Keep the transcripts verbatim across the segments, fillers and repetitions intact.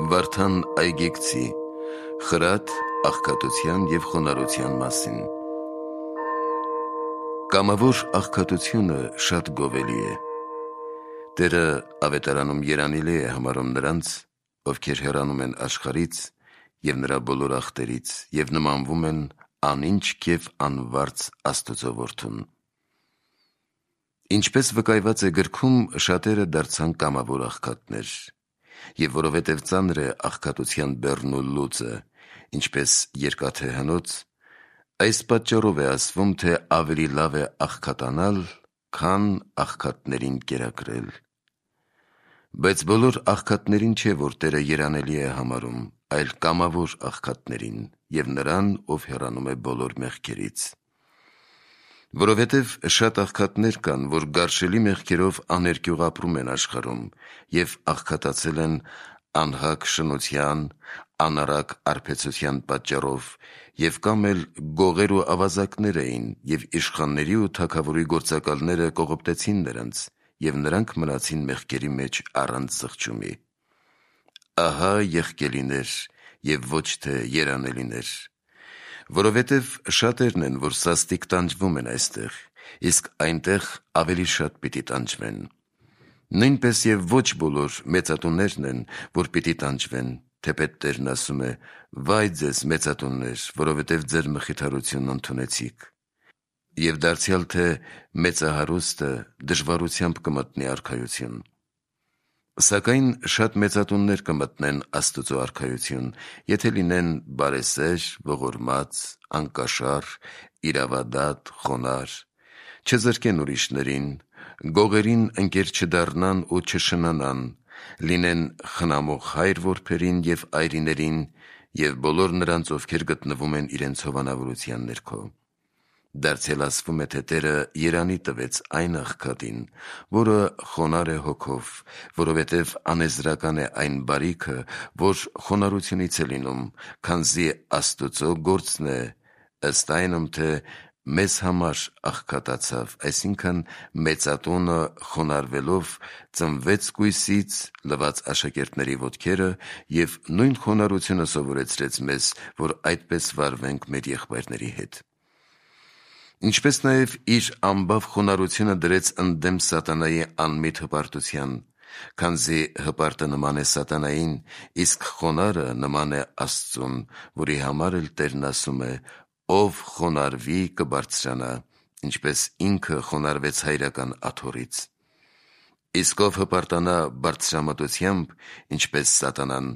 Վարդան Այգեկցի խրատ, աղքատության և խոնարհության մասին։ Կամավոր աղքատությունը շատ գովելի է։ Տերը ավետարանում երանելի է համարում նրանց, ովքեր հեռանում են աշխարհից և նրա բոլոր ախտերից և նմանվում են անինչք և անվարձ Աստծո որդուն։ Ինչպես վկայված է գրքում, շատերը դարձան կամավոր աղքատներ, և որովհետև ծանր է աղքատության բեռն ու լուծը, ինչպես երկաթե հնոց, այս պատճառով է ասվում, թե ավելի լավ է աղքատանալ, քան աղքատներին կերակրել։ Բայց բոլոր աղքատներին չէ, որ Տերը երանելի է համարում, այլ կամավոր աղքատներին և նրան, ով հեռանում է բոլոր մեղքերից։ Որովհետև շատ աղքատներ կան, որ գարշելի մեղքերով աներկյուղ ապրում են աշխարհում և աղքատացել են անհակ շնության, անառակ արբեցության պատճառով, և կամ էլ գողեր ու ավազակներ էին, և իշխանների ու թագավորի գործակալները կողոպտեցին նրանց, և նրանք մնացին մեղքերի մեջ առանց զղջումի։ Ահա եղկելիներ և ոչ թե երանելիներ, որովհետև շատերն են, որ սաստիկ տանջվում են այստեղ, իսկ այնտեղ ավելի շատ պիտի տանջվեն։ Նույնպես և ոչ բոլոր մեծատուներն են, որ պիտի տանջվեն, թեպետ Տերն ասում է. «Վայ ձեզ մեծատուններ, որովհետև ձեր մխիթարությունն ընդունեցիք»։ Եվ դարձյալ թե մեծահարուստը դժվարությամբ կմտնի արքայություն։ Սակայն շատ մեծատուններ կմտնեն Աստծո արքայություն, եթե լինեն բարեսեր, ողորմած, անկաշառ, իրավադատ, խոնարհ, չզրկեն ուրիշներին, գողերին ընկեր չդառնան ու չշնանան, լինեն խնամող հայր-որբերին և այրիներին և բոլոր նրանց, ովքեր գտնվում են իրենց հովանավորության ներքո։ Դարձյալ ասվում է, թե Տերը երանի տվեց այն աղքատին, որը խոնարհ է հոգով, որովհետև անեզրական է այն բարիքը, որ խոնարհությունից է լինում, քանզի Աստուծո գործն է, ըստ այնմ, թե մեզ համար աղքատացավ, այսինքն մեծատունը խոնարհվելով ծնվեց կույսից, լվաց աշակերտների ոտքերը և նույն խոնարհությունը սովորեցրեց մեզ, որ այդպես վարվենք մեր եղբայրների հետ։ Ինչպես նաև իր ամբավ խոնարհությունը դրեց ընդդեմ սատանայի անմիտ հպարտության, քանզի հպարտը նման է սատանային, իսկ խոնարհը նման է Աստծուն, որի համար էլ Տերն ասում է. «Ով խոնարհվի, կբարձրանա, ինչպես ինքը խոնարհվեց հայրական աթոռից»։ Իսկ ով հպարտանա բարձրամտությամբ, ինչպես սատանան,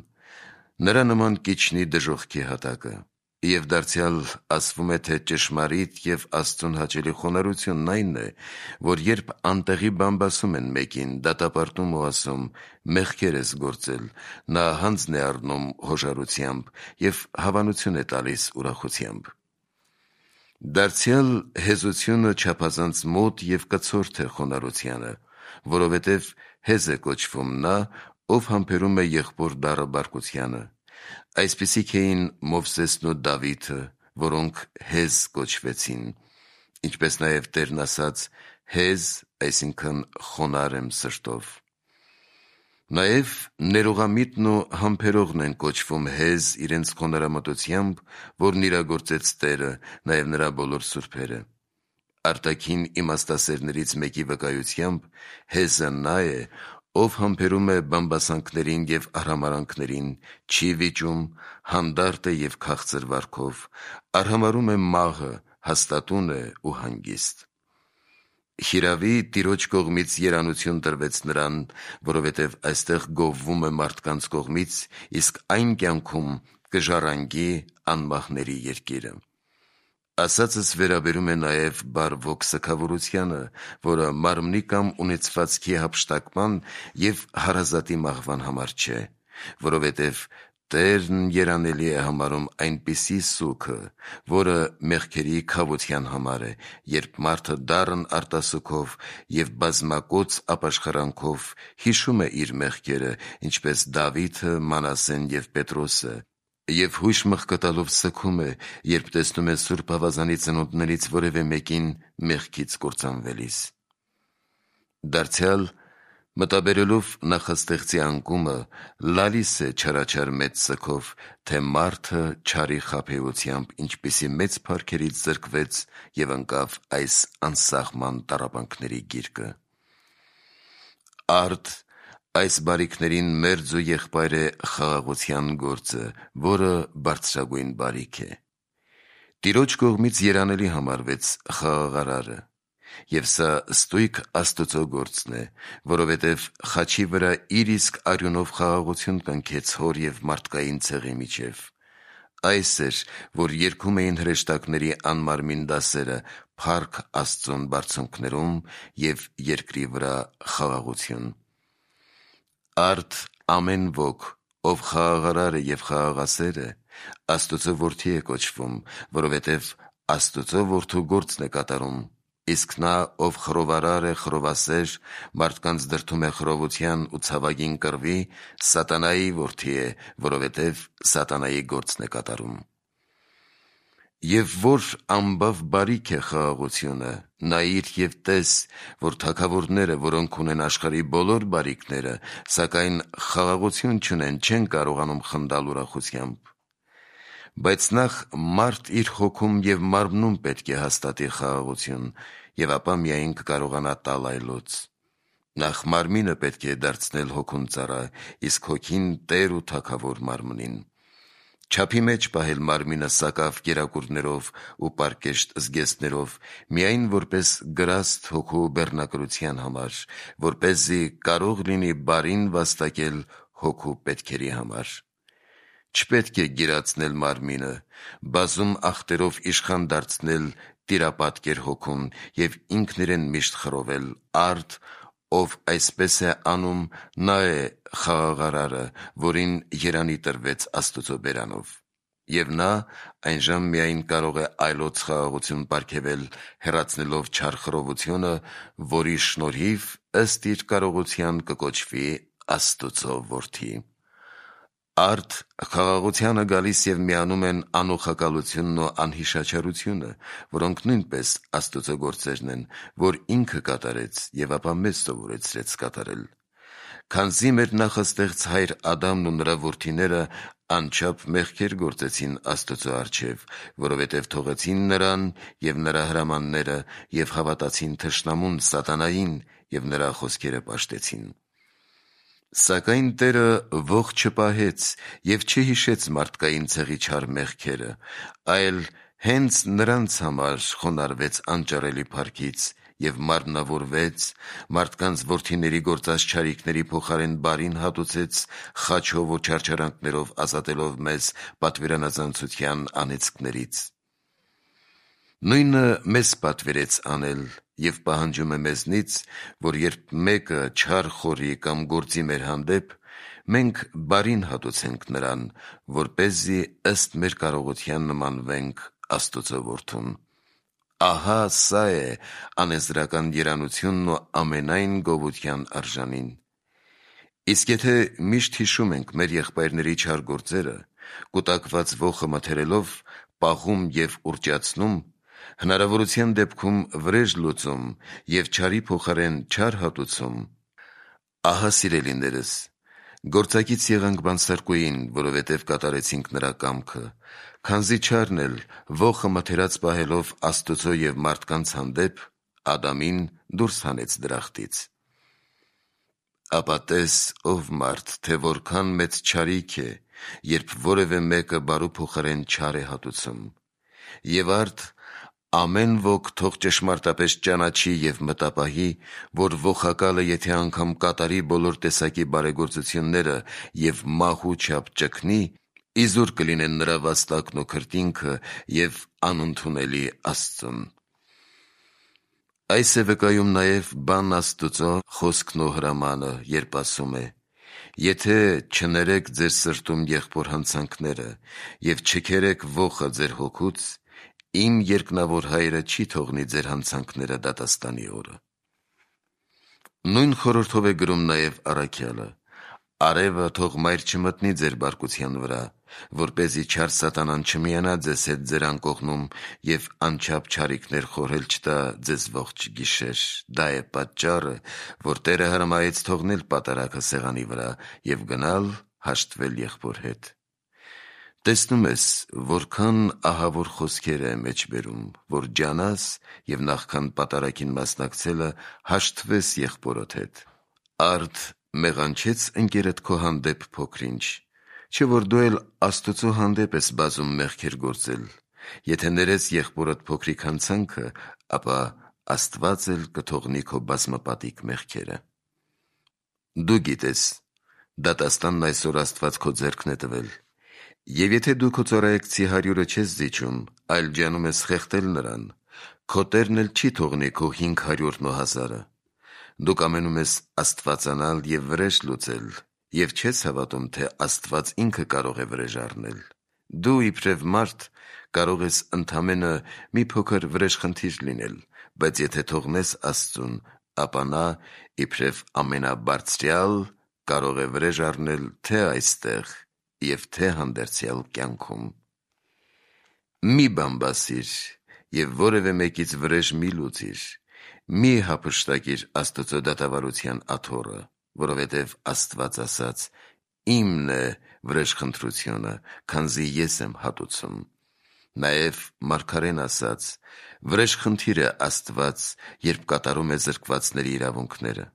նրա նման կիջնի դժոխքի հատակը։ Եվ դարձյալ ասվում է, թե ճշմարիտ և Աստծուն հաճելի խոնարհությունն այն է, որ երբ անտեղի բամբասում են մեկին, դատապարտում ու ասում. «Մեղքեր ես գործել», նա հանձն է առնում հոժարությամբ և հավանություն է տալիս ուրախությամբ։ Դարձյալ հեզությունը չափազանց մոտ և կցորդ է խոնարհությանը, որովհետև հեզ է կոչվում նա, ով համբերում է եղբոր դառը բարկությանը։ Այսպիսիք էին Մովսեսն ու Դավիթը, որոնք հեզ կոչվեցին, ինչպես նաև Տերն ասաց. «Հեզ, այսինքն խոնարհ եմ սրտով»։ Նաև ներողամիտն ու համբերողն են կոչվում հեզ իրենց խոնարհամտությամբ, որն իրագործեց Տերը, նաև նրա բոլոր սուրբերը։ Արտաքին իմաստասերներից մեկի վկայությամբ հեզը նա է, ով համբերում է բամբասանքներին և արհամարհանքներին, չի վիճում, հանդարտ է և քաղցր վարքով, արհամարհում է մաղը, հաստատուն է ու հանգիստ։ Հիրավի, Տիրոջ կողմից երանություն տրվեց նրան, որովհետև այստեղ գովվում է մարդկանց կողմից, իսկ այն կյանքում կժառանգի անմահների երկիրը։ Ասածս վերաբերում է նաև բարվոք սգավորությանը, որը մարմնի կամ ունեցվածքի հափշտակման և հարազատի մահվան համար չէ, որովհետև Տերն երանելի է համարում այնպիսի սուգը, որը մեղքերի քավության համար է, երբ մարդը դառն արտասուքով և բազմակոծ ապաշխարանքով հիշում է իր մեղքերը, ինչպես Դավիթը, Մանասեն և Պետրոսը, և հույժ մղկտալով սգում է, երբ տեսնում է Սուրբ Ավազանի ծնունդներից որևէ մեկին մեղքից կործանվելիս։ Դարձյալ Մտաբերելով նախաստեղծի անկումը, լալիս է չարաչար մեծ սգով, թե մարդը չարի խաբեությամբ ինչպիսի մեծ փառքերից զրկվեց և ընկավ այս անսահման տառապանքների գիրկը։ Արդ այս բարիքներին մերձ ու եղբայր է խաղաղության գործը, որը բարձրագույն բարիք է։ Տիրոջ կողմից երանելի համարվեց խաղաղարարը, և սա ստույգ Աստծո գործն է, որովհետև խաչի վրա իր իսկ արյունով խաղաղություն կնքեց հոր և մարդկային ցեղի միջև։ Այս էր, որ երգում էին հրեշտակների անմարմին դասերը փառք Աստծուն բարձունքներում և երկրի վրա խաղաղություն։ Արդ ամեն ոք, ով խաղաղարար է և խաղաղասեր է, Աստծո որդի է կոչվում, որովհետև Աստծո որդու գործն է կատարում, իսկ նա, ով խռովարար է, խռովասեր, մարդկանց դրդում է խռովության ու ցավագին կռվի, սատանայի որդի է, որովհետև սատանայի գործն է կատարում։ Եվ որ ամբավ բարիք է խաղաղությունը, նայիր և տես, որ թագավորները, որոնք ունեն աշխարհի բոլոր բարիքները, սակայն խաղաղություն չունեն, չեն կարողանում խնդալ ուրախությամբ։ Բայց նախ մարդ իր հոգում և մարմնում պետք է հաստատի խաղաղություն, և ապա միայն կկարողանա տալ այլոց։ Նախ մարմինը պետք է դարձնել հոգուն ծառա, իսկ հոգին տեր ու թագավոր մարմնին։ Չափի մեջ պահել մարմինը սակավ կերակուրներով ու պարկեշտ զգեստներով, միայն որպես գրաստ հոգու բեռնակրության համար, որպեսզի կարող լինի բարին վաստակել հոգու պետքերի համար։ Չպետք է գիրացնել մարմինը, բազում ախտերով իշխան դարձնել տիրապատկեր հոգուն և ինքն իրեն միշտ խռովել։ Արդ, ով այսպես է անում, նա է խաղաղարարը, որին երանի տրվեց Աստծո բերանով։ Եվ նա այնժամ միայն կարող է այլոց խաղաղություն պարգևել, հեռացնելով չար խռովությունը, որի շնորհիվ ըստ իր կարողության կկոչվի Աստծո որդի։ Արդ խաղաղությանը գալիս և միանում են անուխակալությունն ու անհիշաչարությունը, որոնք նույնպես Աստծո գործերն են, որ ինքը կատարեց և ապա մեզ սովորեցրեց կատարել։ Քանզի մեր նախաստեղծ հայր Ադամն ու նրա որդիները անչափ մեղքեր գործեցին Աստծո առջև, որովհետև թողեցին նրան և նրա հրամանները և հավատացին թշնամուն սատանային և նրա խոսքերը պաշտեցին։ Սակայն Տերը ողջ չպահեց և չհիշեց մարդկային ցեղի չար մեղքերը, այլ հենց նրանց համար խոնարհվեց անճարելի փառքից և մարմնավորվեց, մարդկանց որդիների գործած չարիքների փոխարեն բարին հատուցեց խաչով ու չարչարանքներով ազատելով մեզ պատվիրանազանցության անեծքներից։ Նույնը մեզ պատվիրեց անել և պահանջում է մեզնից, որ երբ մեկը չար խորի կամ գործի մեր հանդեպ, մենք բարին հատուցենք նրան, որպեսզի ըստ մեր կարողության նմանվենք Աստծո որդուն։ Ահա սա է անեզրական երանությունն ու ամենայն գովության արժանին։ Իսկ եթե միշտ հիշում ենք մեր եղբայրների չար գործերը, կուտակված ոխը մթերելով պաղում և ուռճացնում, հնարավորության դեպքում վրեժ լուծում և չարի փոխարեն չար հատուցում, ահա սիրելիներս, գործակից եղանք բանսարկուին, որովհետև կատարեցինք նրա կամքը, քանզի չարն էլ ոխը մթերած պահելով Աստծո և մարդկանց հանդեպ, Ադամին դուրս հանեց դրախտից։ Ապա տես, ով մարդ, թե որքան մեծ չարիք է, երբ որևէ մեկը բարու փոխարեն չար է հատուցում։ Եվ արդ ամեն ոք թող ճշմարտապես ճանաչի և մտապահի, որ ոխակալը եթե անգամ կատարի բոլոր տեսակի բարեգործությունները և մահու չափ ճգնի, իզուր կլինեն նրա վաստակն ու քրտինքը և անընդունելի Աստծուն։ Այս է վկայում նաև բան Աստծո խոսքն ու հրամանը, երբ ասում է. «Եթե չներեք ձեր սրտում եղբոր հանցանքները և չքերեք ոխը ձեր հոգուց, իմ երկնավոր Հայրը չի թողնի ձեր հանցանքները դատաստանի օրը»։ Նույն խորհրդով է գրում նաև առաքյալը. «Արևը թող մայր չմտնի ձեր բարկության վրա, որպեսզի չար սատանան չմիանա ձեզ հետ ձեր անկողնում և անչափ չարիքներ խորհել չտա ձեզ ողջ գիշեր. դա է պատճառը, որ Տերը հրամայեց թողնել պատարագը սեղանի վրա և գնալ հաշտվել եղբոր հետ։ Տեսնում ես, որքան ահավոր խոսքեր է մեջ բերում, որ ջանաս և նախքան պատարագին մասնակցելը հաշտվես եղբորդ հետ։ Արդ մեղանչեց ընկերդ քո հանդեպ փոքր-ինչ, չէ՞ որ դու էլ Աստծո հանդեպ ես բազում մեղքեր գործել։ Եթե ներես եղբորդ փոքրիկ հանցանքը, ապա Աստված էլ կթողնի քո բազմապատիկ մեղքերը։ Դու գիտես, դատաստանն այսօր Աստված քո ձեռքն է տվել, և եթե դու քո ծառայեկցի հարյուրը չես զիջում, այլ ջանում ես խեղդել նրան, քո Տերն էլ չի թողնի քո հինգ հարյուրն ու հազարը։ Դու կամենում ես աստվածանալ և վրեժ լուծել և չես հավատում, թե Աստված ինքը կարող է վրեժ առնել։ Դու իբրև մարդ կարող ես ընդամենը մի փոքր վրեժխնդիր լինել, բայց եթե թողնես Աստծուն, ապա նա իբրև ամենաբարձրյալ կարող է վրեժ առնել թե այստեղ և թե հանդերձյալ կյանքում։ Մի բամբասիր և որևէ մեկից վրեժ մի լուծիր, մի հափշտակիր Աստծո դատավարության աթոռը, որովհետև Աստված ասաց. «Իմն է վրեժխնդրությունը, քանզի ես եմ հատուցում»։ Նաև մարգարեն ասաց. վրեժխնդիր է Աստված, երբ կատարում է զրկվածների իրավունքները։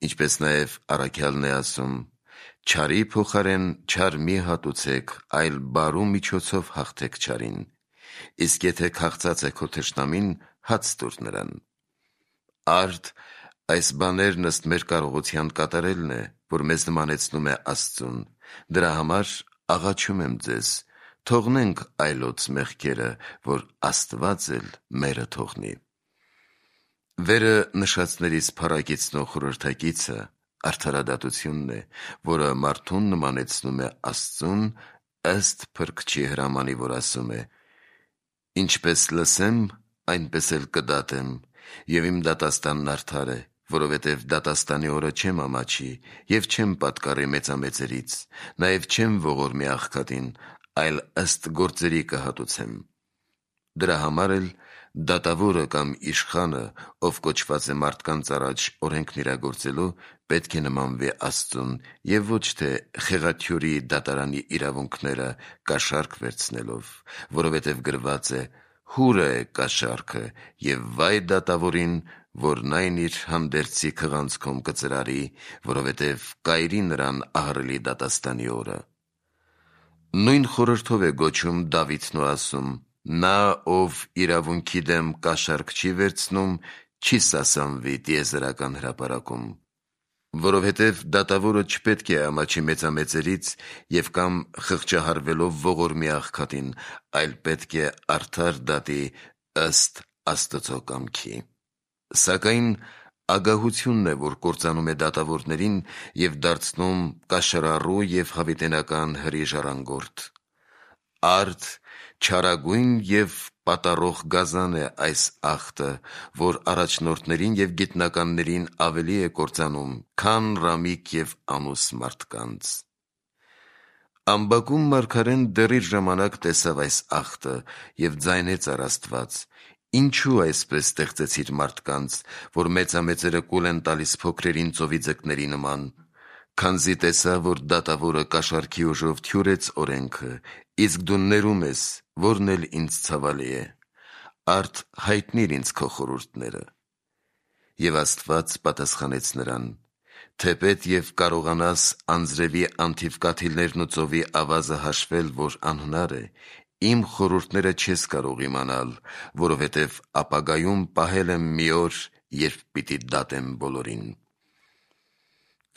Ինչպես նաև առաքյալն է ասում. «Չարի փոխարեն չար մի հատուցեք, այլ բարու միջոցով հաղթեք չարին, իսկ եթե քաղցած է քո թշնամին, հաց տուր նրան»։ Արդ այս բաներն ըստ մեր կարողության կատարելն է, որ մեզ նմանեցնում է Աստծուն։ Դրա համար աղաչում եմ ձեզ. թողնենք այլոց մեղքերը, որ Աստված էլ մերը թողնի։ Վերը նշածներից փառագիծնող խորհրդակիցը արդարադատությունն է, որը մարդուն նմանեցնում է Աստծուն, ըստ Փրկչի հրամանի, որ ասում է. «Ինչպես լսեմ, այնպես էլ կդատեմ, և իմ դատաստանն արդար է, որովհետև դատաստանի օրը չեմ ամաչի և չեմ պատկառի մեծամեծերից, նաև չեմ ողորմի աղքատին, այլ ըստ գործերի կհատուցեմ»։ Դրա համար էլ դատավորը կամ իշխանը, ով կոչված է մարդկանց առաջ օրենքն իրագործելու, պետք է նմանվի Աստծուն և ոչ թե խեղաթյուրի դատարանի իրավունքները կաշառք վերցնելով, որովհետև գրված է. «Հուրը է կաշառքը, և վայ դատավորին, որն այն իր հանդերձի քղանցքում կծրարի, որովհետև կայրի նրան ահռելի դատաստանի օրը»։ Նույն խորհրդով է գոչում Դավիթն ու ասում. «Նա, ով իրավունքի դեմ կաշառք չի վերցնում, չի սասանվի տիեզերական հրապարակում»։ Որովհետև դատավորը չպետք է ամաչի մեծամեծերից և կամ խղճահարվելով ողորմի աղքատին, այլ պետք է արդար դատի ըստ Աստծո կամքի։ Սակայն ագահությունն է, որ կործանում է դատավորներին և դարձնում կաշռառու և հավիտենական հրի ժառանգորդ։ Արդ չարագույն և պատառող գազան է այս ախտը, որ առաջնորդներին և գիտնականներին ավելի է կործանում, քան ռամիկ և ամուս մարդկանց։ Ամբակում մարգարեն դեռ իր ժամանակ տեսավ այս ախտը և ձայնեց առ Աստված. «Ինչու այսպես ստեղծեցիր մարդկանց, որ մեծամեծերը կուլ են տալիս փոքրերին ծովի ձկների նման»։ Քանզի տեսա, որ դատավորը կաշառքի ուժով թյուրեց օրենքը, իսկ դու ներում ես, որն էլ ինձ ցավալի է։ Արդ հայտնի՛ր ինձ քո խորհուրդները։ Եվ Աստված պատասխանեց նրան. «Թեպետ և կարողանաս անձրևի անթիվ կաթիլներն ու ծովի ավազը հաշվել, որ անհնար է, իմ խորհուրդները չես կարող իմանալ, որովհետև ապագայում պահել եմ մի օր, երբ պիտի դատեմ բոլորին»։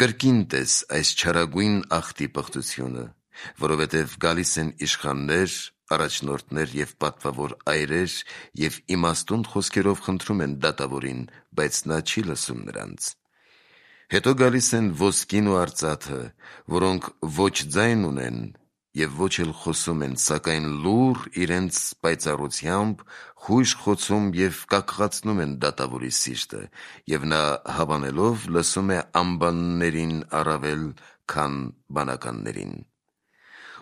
Կրկին տես այս չարագույն ախտի պղծությունը, որովհետև գալիս են իշխաններ, առաջնորդներ և պատվավոր այրեր և իմաստուն խոսքերով խնդրում են դատավորին, բայց նա չի լսում նրանց։ Հետո գալիս են ոսկին ու արծաթը, որոնք ոչ ձայն ունեն և ոչ էլ խոսում են, սակայն լուռ իրենց պայծառությամբ խույժ խոցում և կաքղացնում են դատավորի սիրտը, և նա հավանելով լսում է ամբաններին առավել, քան բանականներին։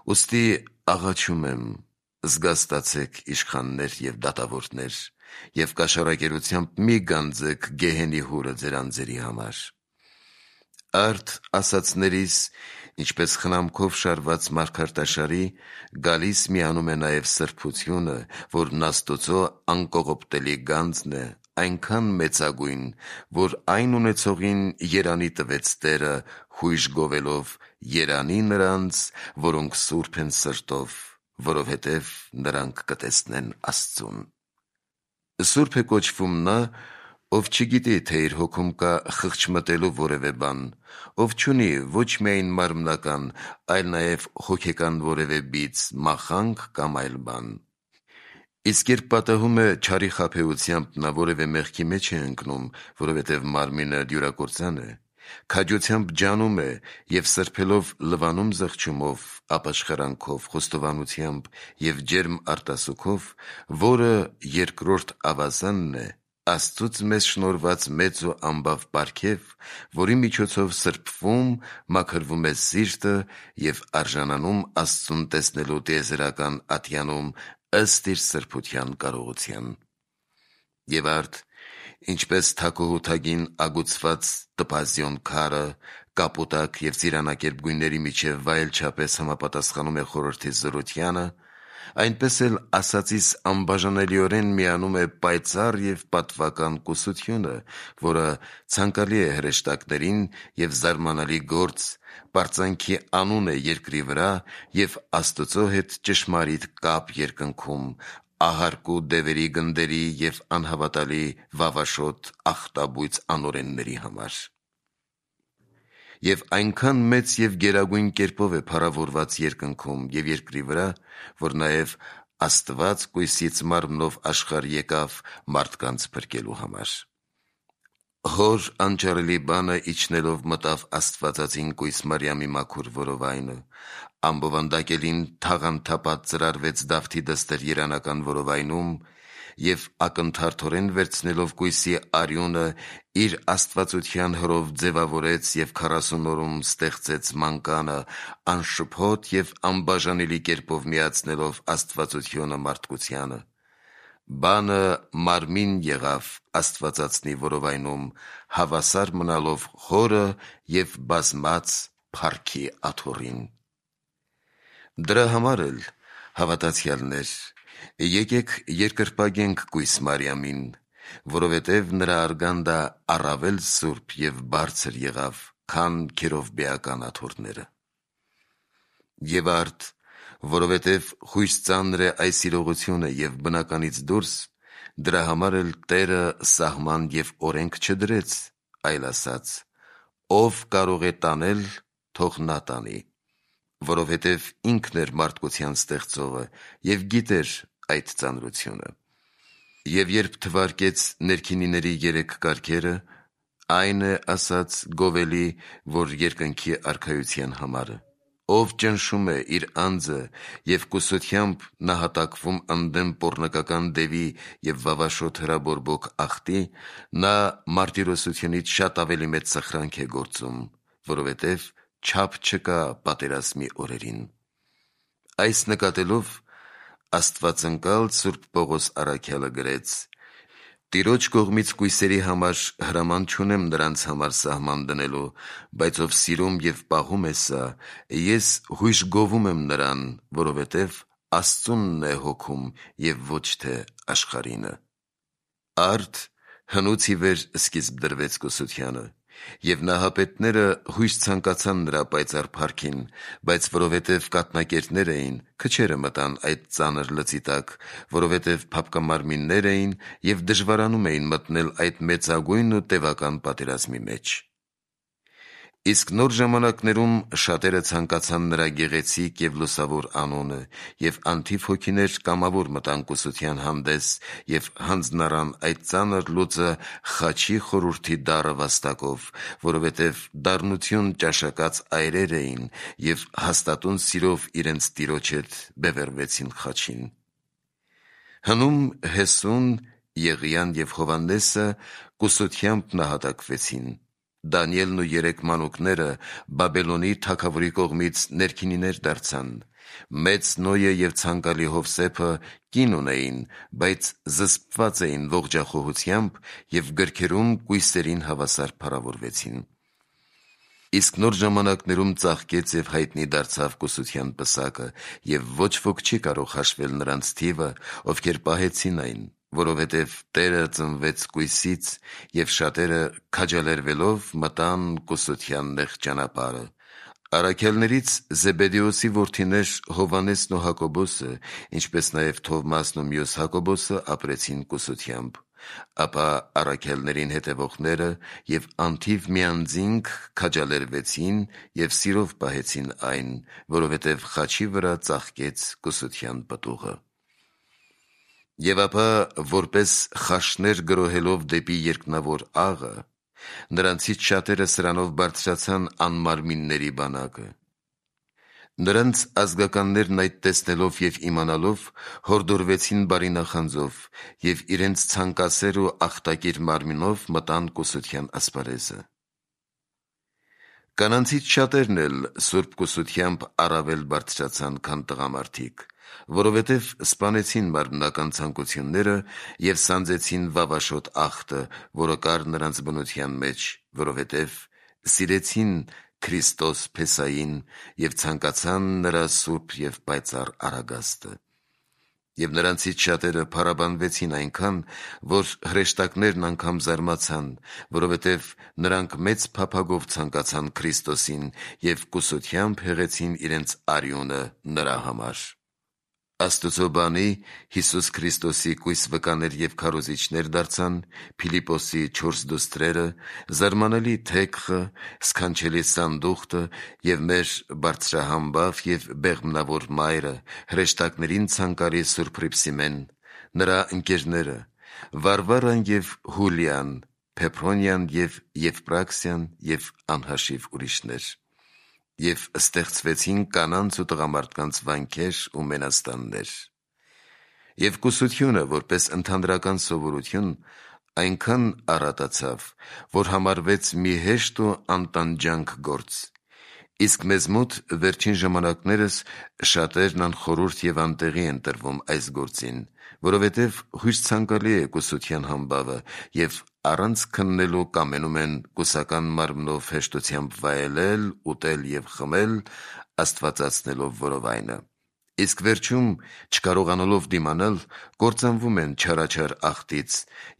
Ուստի աղաչում եմ, զգաստացեք իշխաններ և դատավորներ, և կաշառակերությամբ մի գանձեք գեհենի հուրը ձեր անձերի համար։ Արդ ասացներիս, ինչպես խնամքով շարված մարգարտաշարի, գալիս միանում է նաև սրբությունը, որն Աստծո անկողոպտելի գանձն է, այնքան մեծագույն, որ այն ունեցողին երանի տվեց Տերը, հույժ գովելով. երանի նրանց, որոնք սուրբ են սրտով, որովհետև նրանք կտեսնեն Աստծուն։ Սուրբ է կոչվում նա, ով չգիտի, թե իր հոգում կա խղճմտելու որևէ բան, ով չունի ոչ միայն մարմնական, այլ նաև հոգեկան որևէ բիծ, մախանք կամ այլ բան։ Իսկ երբ պատահում է չարի խաբեությամբ, նա որևէ մեղքի մեջ է ընկնում, որովհետև մարմինը դյուրակործան է, քաջությամբ ջանում է և սրբելով լվանում զղջումով, ապաշխարանքով, խոստովանությամբ և ջերմ արտասուքով, որը երկրորդ ավազանն է, Աստծուց մեզ շնորհված մեծ ու անբավ պարգև, որի միջոցով սրբվում, մաքրվում է սիրտը և արժանանում Աստծուն տեսնելու տիեզերական ատյանում ըստ իր սրբության կարողության։ Եվ արդ, ինչպես թագուհութագին ագուցված տպազիոն քարը, կապուտակ և ծիրանակերպ գույների միջև վայելչապես համապատասխանում է խորհրդի զորությանը, այնպես էլ ասածիս անբաժանելիորեն միանում է պայծառ և պատվական կուսությունը, որը ցանկալի է հրեշտակներին և զարմանալի գործ, պարծանքի անուն է երկրի վրա և Աստծո հետ ճշմարիտ կապ երկնքում, ահարկու դևերի գնդերի և անհավատալի վավաշոտ ախտաբույծ անօրենների համար։ Եվ այնքան մեծ և գերագույն կերպով է փառավորված երկնքում և երկրի վրա, որ նաև Աստված կույսից մարմնով աշխարհ եկավ մարդկանց փրկելու համար։ Հոր անճարելի բանը իջնելով մտավ Աստվածածին կույս Մարիամի մաքուր որովայնը, ամբովանդակելին թաղանթապատ ծրարվեց Դավթի դստեր երանական որովայնում և ակնթարթորեն վերցնելով կույսի արյունը իր աստվածության հրով ձևավորեց և քառասուն օրում ստեղծեց մանկանը, անշփոթ և անբաժանելի կերպով միացնելով աստվածությունը մարդկությանը։ Բանը մարմին եղավ Աստվածածնի որովայնում, հավասար մնալով հորը և բազմած փառքի աթոռին։ Դրա համար էլ, հավատացյալներ, եկեք երկրպագենք կույս Մարիամին, որովհետև նրա արգանդը առավել սուրբ և բարձր եղավ, քան քերովբեական աթոռները։ Եվ արդ, որովհետև խույս ծանր է այս իրողությունը և բնականից դուրս, դրա համար էլ Տերը սահման և օրենք չդրեց, այլ ասաց. «Ով կարող է տանել, թող նա տանի», որովհետև ինքն էր մարդկության ստեղծողը և գիտեր այդ ծանրությունը։ Եվ երբ թվարկեց ներքինիների երեք կարգերը, այն է ասաց գովելի, որ երկնքի արքայության համարը։ Ով ճնշում է իր անձը և կուսությամբ նահատակվում ընդդեմ պոռնկական դևի և վավաշոտ հրաբորբոք ախտի, նա մարտիրոսությունից շատ ավելի մեծ սխրանք է գործում, որովհետև չափ չկա պատերազմի օրերին։ Այս նկատելով Աստվածընկալ Սուրբ Պողոս առաքյալը գրեց. «Տիրոջ կողմից կույսերի համար հրաման չունեմ նրանց համար սահման դնելու, բայց ով սիրում և պահում է սա, ես հույժ գովում եմ նրան, որովհետև Աստծունն է հոգում և ոչ թե աշխարհինը»։ Արդ հնուց ի վեր սկիզբ դրվեց կուսությանը, և նահապետները հույժ ցանկացան նրա պայծառ փառքին, բայց որովհետև կաթնակերտներ էին, քչերը մտան այդ ծանր լծի տակ, որովհետև փափկամարմիններ էին և դժվարանում էին մտնել այդ մեծագույն ու տևական պատերազմի մեջ։ Իսկ նոր ժամանակներում շատերը ցանկացան նրա գեղեցիկ և լուսավոր անունը, և անթիվ հոգիներ կամավոր մտան կուսության հանդես և հանձնառան այդ ծանր լուծը խաչի խորհուրդի դառը վաստակով, որովհետև դառնություն ճաշակած այրեր էին և հաստատուն սիրով իրենց Տիրոջ հետ բևեռվեցին խաչին։ Հնում Հեսուն, Եղիան և Հովհաննեսը կուսությամբ նահատակվեցին։ Դանիելն ու երեք մանուկները Բաբելոնի թագավորի կողմից ներքինիներ դարձան Մեծ Նոյը և ցանկալի Հովսեփը կին ունեին, բայց զսպված էին ողջախոհությամբ և գրքերում կույսերին հավասար փառավորվեցին։ Իսկ նոր ժամանակներում ծաղկեց և հայտնի դարձավ կուսության պսակը, և ոչ ոք չի կարող հաշվել նրանց թիվը, ովքեր պահեցին այն, որովհետև Տերը ծնվեց կույսից, և շատերը քաջալերվելով մտան կուսության նեղ ճանապարհը։ Առաքյալներից Զեբեդեոսի որդիներ Հովհաննեսն ու Հակոբոսը, ինչպես նաև Թովմասն ու մյուս Հակոբոսը ապրեցին կուսությամբ, ապա առաքյալներին հետևողները և անթիվ միանձինք քաջալերվեցին և սիրով պահեցին այն, որովհետև խաչի վրա ծաղկեց կուսության պտուղը։ Եվ ապա որպես խաշներ գրոհելով դեպի երկնավոր աղը, նրանցից շատերը սրանով բարձրացան անմարմինների բանակը։ Նրանց ազգականներն այդ տեսնելով և իմանալով հորդորվեցին բարի նախանձով և իրենց ցանկասեր ու ախտակիր մարմինով մտան կուսության ասպարեզը։ Կանանցից շատերն էլ սուրբ կուսությամբ առավել բարձրացան, քան տղամարդիկ, որովհետև սպանեցին մարմնական ցանկությունները և սանձեցին վավաշոտ ախտը, որը կար նրանց բնության մեջ, որովհետև սիրեցին Քրիստոս Փեսային և ցանկացան նրա սուրբ և պայծառ արագաստը։ Եվ նրանցից շատերը փառաբանվեցին այնքան, որ հրեշտակներն անգամ զարմացան, որովհետև նրանք մեծ փափագով ցանկացան Քրիստոսին և կուսությամբ հեղեցին իրենց արյունը նրա համար։ Աստուծո բանի Հիսուս Քրիստոսի կույս վկաներ և քարոզիչներ դարձան Փիլիպոսի չորս դուստրերը, զարմանալի Թեքղը, սքանչելի Սանդուխտը և մեր բարձրահամբավ և բեղմնավոր մայրը, հրեշտակներին ցանկալի Սուրբ Հռիփսիմեն, նրա ընկերները, Վարվարան և Հուլիան, Փեփրոնիան և Եվպրաքսիան և անհաշիվ ուրիշներ։ Եվ ստեղծվեցին կանանց ու տղամարդկանց վանքեր ու մենաստաններ։ Եվ կուսությունը, որպես ընդհանրական սովորություն, այնքան առատացավ, որ համարվեց մի հեշտ ու անտանջանք գործ։ Իսկ մեզ մոտ վերջին ժամանակներս շատերն անխորհուրդ և անտեղի են տրվում այս գործին, որովհետև հույս ցանկալի է կուսության համբավը, և առանց քննելու կամենում են կուսական մարմնով հեշտությամբ վայելել, ուտել և խմել, աստվածացնելով որովայնը։ Իսկ վերջում, չկարողանալով դիմանալ, կործանվում են չարաչար ախտից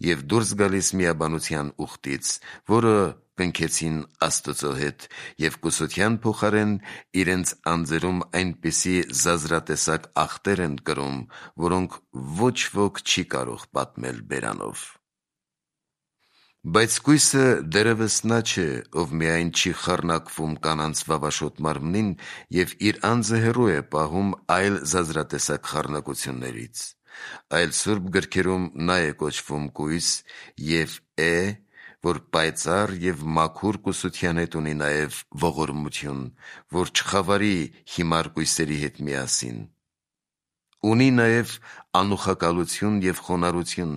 և դուրս գալիս միաբանության ուխտից, որը կնքեցին Աստծո հետ, և կուսության փոխարեն իրենց անձերում այնպիսի զազրատեսակ ախտեր են կրում, որոնք ոչ ոք չի կարող պատմել բերանով։ Բայց կույսը դեռևս նա չէ, ով միայն չի խառնակվում կանանց վավաշոտ մարմնին և իր անձը հեռու է պահում այլ զազրատեսակ խառնակություններից, այլ Սուրբ գրքերում նա է կոչվում կույս և է, որ պայծառ և մաքուր կուսության հետ ունի նաև ողորմություն, որ չխավարի հիմար կույսերի հետ միասին։ Ունի նաև անուխակալություն և խոնարհություն,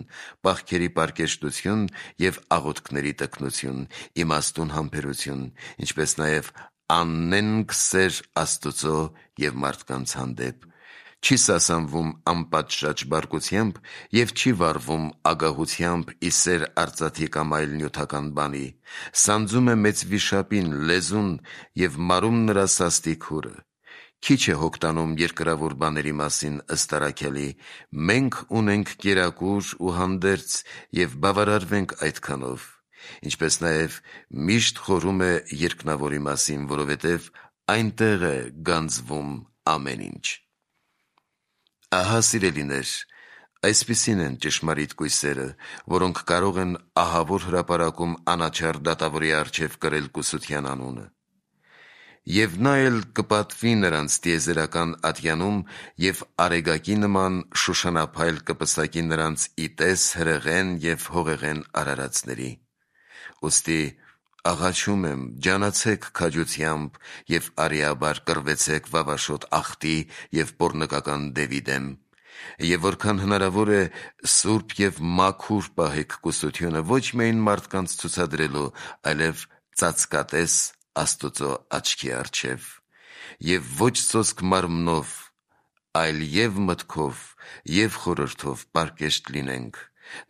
պահքերի պարկեշտություն և աղոթքների տգնություն, իմաստուն համբերություն, ինչպես նաև աննենգ սեր Աստուծո և մարդկանց հանդեպ, չի սասանվում անպատշաճ բարկությամբ և չի վարվում ագահությամբ ի սեր արծաթի կամ այլ նյութական բանի, սանձում է մեծ վիշապին լեզուն և մարում նրա սաստիկ հուրը։ Քիչ է հոգ տանում երկրավոր բաների մասին ըստ առաքյալի. մենք ունենք կերակուր ու հանդերձ և բավարարվենք այդքանով, ինչպես նաև միշտ խորհում է երկնավորի մասին, որովհետև այնտեղ է գանձվում ամեն ինչ։ Ահա, սիրելիներ, այսպիսին են ճշմարիտ կույսերը, որոնք կարող են ահավոր հրապարակում անաչառ դատավորի առջև կրել կուսության անունը։ Եվ նա էլ կպատվի նրանց տիեզերական ատյանում և արեգակի նման շուշանափայլ կպսակի նրանց ի տես հրեղեն և հողեղեն արարածների։ Ուստի աղաչում եմ, ջանացեք քաջությամբ և արիաբար կռվեցեք վավաշոտ ախտի և պոռնկական դևի դեմ, և որքան հնարավոր է սուրբ և մաքուր պահեք կուսությունը ոչ միայն մարդկանց ցուցադրելու, այլև ծածկատես Աստուծո աչքի առջև։ եւ ոչ սոսկ մարմնով, այլ եւ մտքով, եւ խորհրդով պարկեշտ լինենք,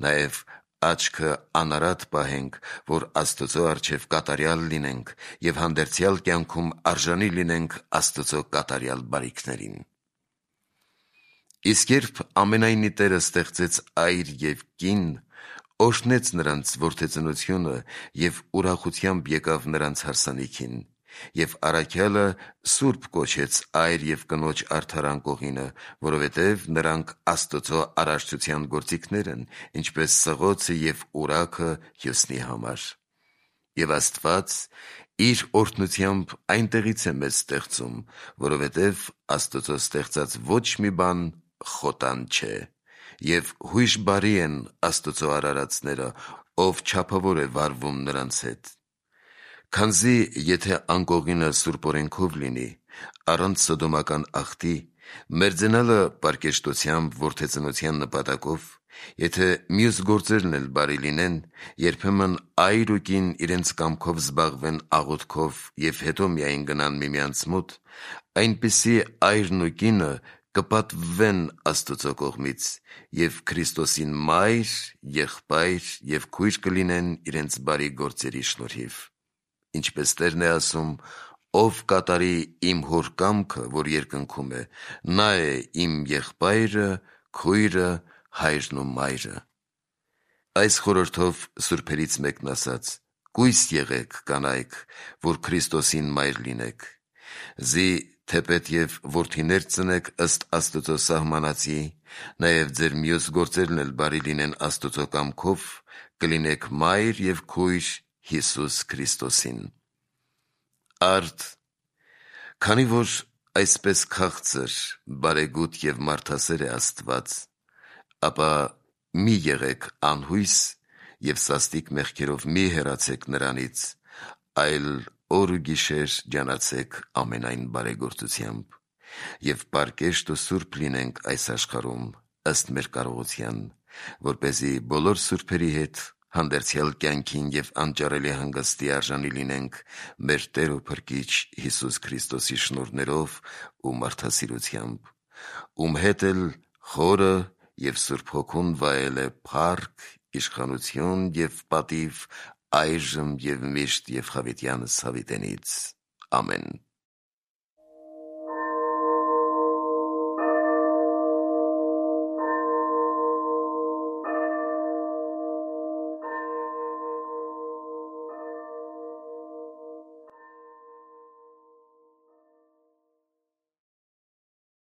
նաեւ աչքը անարատ պահենք, որ Աստծո առջև կատարյալ լինենք եւ հանդերձյալ կյանքում արժանի լինենք Աստծո կատարյալ բարիքներին։ Իսկ երբ ամենայնի Տերը ստեղծեց այր եւ կին, օրհնեց նրանց որդեծնությունը եւ ուրախությամբ եկավ նրանց հարսանիքին, եւ առաքյալը սուրբ կոչեց այր եւ կնոջ արդարան կողինը, որովհետեւ նրանք Աստծո արարչության գործիքներ են, ինչպես սղոցը եւ ուրաքը հյուսնի համար։ Եվ Աստված իր օրհնությամբ այնտեղից է մեզ ստեղծում, որովհետեւ Աստծո ստեղծած ոչ մի բան խոտան չէ, եւ հույժ բարի են Աստծո արարածները, ով չափավոր է վարվում նրանց հետ։ Քանզի եթե անկողինը սուրբ օրենքով լինի, առանց սոդոմական ախտի, մերձենալը պարկեշտությամբ որդեծնության նպատակով, եթե մյուս գործերն էլ բարի լինեն, երբեմն այր ու կին իրենց կամքով զբաղվեն աղոթքով եւ հետո միայն գնան միմյանց մոտ, այնպիսի այրն ու կինը կպատվվեն Աստծո կողմից եւ Քրիստոսին մայր, եղբայր եւ քույր կլինեն իրենց բարի գործերի շնորհիվ։ Ինչպես Տերն է ասում. «Ով կատարի իմ հոր կամքը, որ երկնքում է, նա է իմ եղբայրը, քույրը, հայրն ու մայրը»։ Այս խորհրդով սուրբերից մեկն ասաց. «Կույս եղեք, կանայք, որ Քրիստոսին մայր լինեք, զի թեպետև որդիներ ծնեք ըստ Աստծո սահմանածի, նաև ձեր մյուս գործերն էլ բարի լինեն Աստծո կամքով, կլինեք մայր և քույր Հիսուս Քրիստոսին»։ Արդ, քանի որ այսպես քաղցր, բարեգութ և մարդասեր է Աստված, ապա մի եղեք անհույս և սաստիկ մեղքերով մի հեռացեք նրանից, այլ օր ու գիշեր ջանացեք ամենայն բարեգործությամբ, և պարկեշտ ու սուրբ լինենք այս աշխարհում ըստ մեր կարողության, որպեսզի բոլոր սուրբերի հետ հանդերձյալ կյանքին և անճարելի հանգստի արժանի լինենք մեր Տեր ու Փրկիչ Հիսուս Քրիստոսի շնորհներով ու մարդասիրությամբ, ում հետ էլ Խորը և Սուրբ Հոգուն վայել է փառք, իշխանություն և պատիվ այժմ և միշտ և հավիտյանս հավիտենից։ Ամեն։